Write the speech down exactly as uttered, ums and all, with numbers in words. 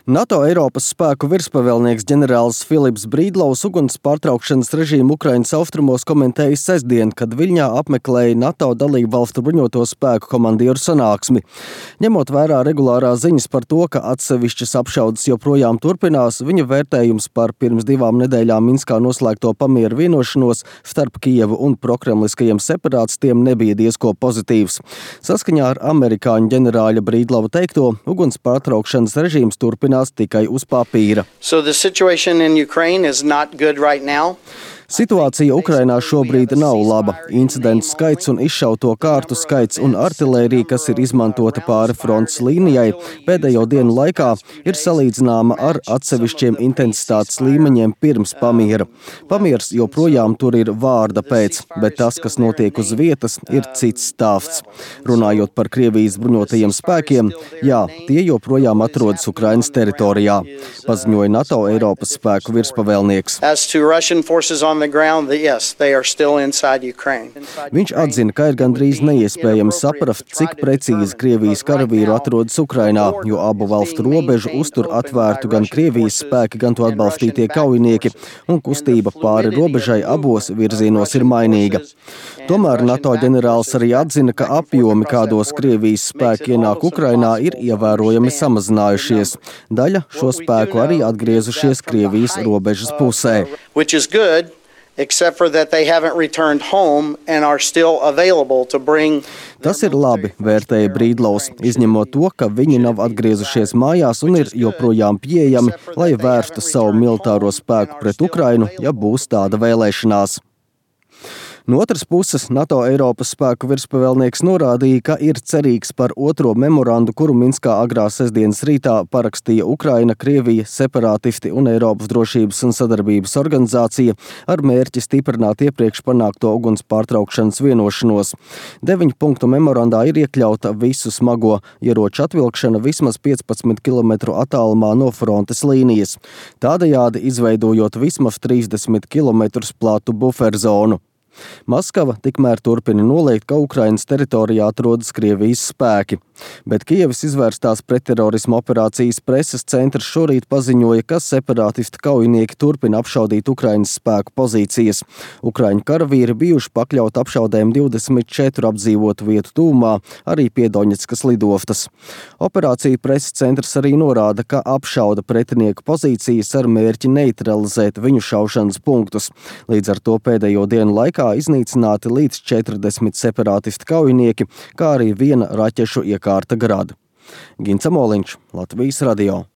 NATO Eiropas spēku virspavēlnieks ģenerālis Filips Brīdlaus uguns pārtraukšanas režīmu Ukrainas austrumos komentēja sestdien, kad Viļņā apmeklēja NATO dalību valstu bruņoto spēku komandieru sanāksmi. Ņemot vērā regulārās ziņas par to, ka atsevišķas apšaudes joprojām turpinās, viņa vērtējums par pirms divām nedēļām Minskā noslēgto pamieru vienošanos starp Kijevu un prokremliskajiem separātistiem nebija diezko pozitīvs. Saskaņā ar amerikāņu ģenerāļa Brīdlava teikto, uguns pārtraukšanas režīms turpinās tikai uz papīra. So the situation in Ukraine is not good right now. Situācija Ukrainā šobrīd nav laba. Incidentu skaits un izšauto kārtu skaits un artilērija, kas ir izmantota pāri frontes līnijai, pēdējo dienu laikā ir salīdzināma ar atsevišķiem intensitātes līmeņiem pirms pamiera. Pamiers joprojām tur ir vārda pēc, bet tas, kas notiek uz vietas, ir cits stāsts. Runājot par Krievijas bruņotajiem spēkiem, jā, tie joprojām atrodas Ukrainas teritorijā, paziņoja NATO Eiropas spēku virspavēlnieks. As to Russian forces on the ground, yes, they are still inside Ukraine. Viņš atzina, ka ir gandrīz neiespējami saprast, cik precīzi Krievijas karavīru atrodas Ukrainā, jo abu valstu robežu uztur atvērtu gan Krievijas spēki, gan to atbalstītie kaujinieki, un kustība pāri robežai abos virzienos ir mainīga. Tomēr NATO ģenerālis arī atzina, ka apjomi, kādos Krievijas spēki ienāk Ukrainā, ir ievērojami samazinājušies. Daļa šo spēku arī atgriezušies Krievijas robežas pusē. Which is good, except for that they haven't returned home and are still available to bring. Tas ir labi, vērtēja Brīdlaus, izņemot to, ka viņi nav atgriezušies mājās un ir joprojām pieejami, lai vērstu savu militāro spēku pret Ukrainu, ja būs tāda vēlēšanās. No otras puses, NATO Eiropas spēku virspavēlnieks norādīja, ka ir cerīgs par otro memorandu, kuru Minskā agrā sestdienas rītā parakstīja Ukraina, Krievija, separātisti un Eiropas drošības un sadarbības organizācija ar mērķi stiprināt iepriekš panākto uguns pārtraukšanas vienošanos. Deviņu punktu memorandā ir iekļauta visu smago ieroču atvilkšana vismaz piecpadsmit kilometru attālumā no frontes līnijas, tādējādi izveidojot vismaz trīsdesmit kilometrus platu buferzonu. Maskava tikmēr turpina noliegt, ka Ukrainas teritorijā atrodas Krievijas spēki, bet Kijevas izvērstās pretterorisma operācijas preses centrs šorīt paziņoja, ka separātisti kaujinieki turpina apšaudīt Ukrainas spēku pozīcijas. Ukraiņu karavīri bijuši pakļaut apšaudēm divdesmit četru apdzīvotu vietu tūmā, arī pie Doņetskas lidostas. Operācija preses centrs arī norāda, ka apšauda pretinieku pozīcijas ar mērķi neutralizēt viņu šaušanas punktus. Līdz ar to pēdējo dienu laikā iznīcināti līdz četrdesmit separātisti kaujinieki, kā arī viena raķešu iekārta Grad. Gints Amoliņš, Latvijas radio.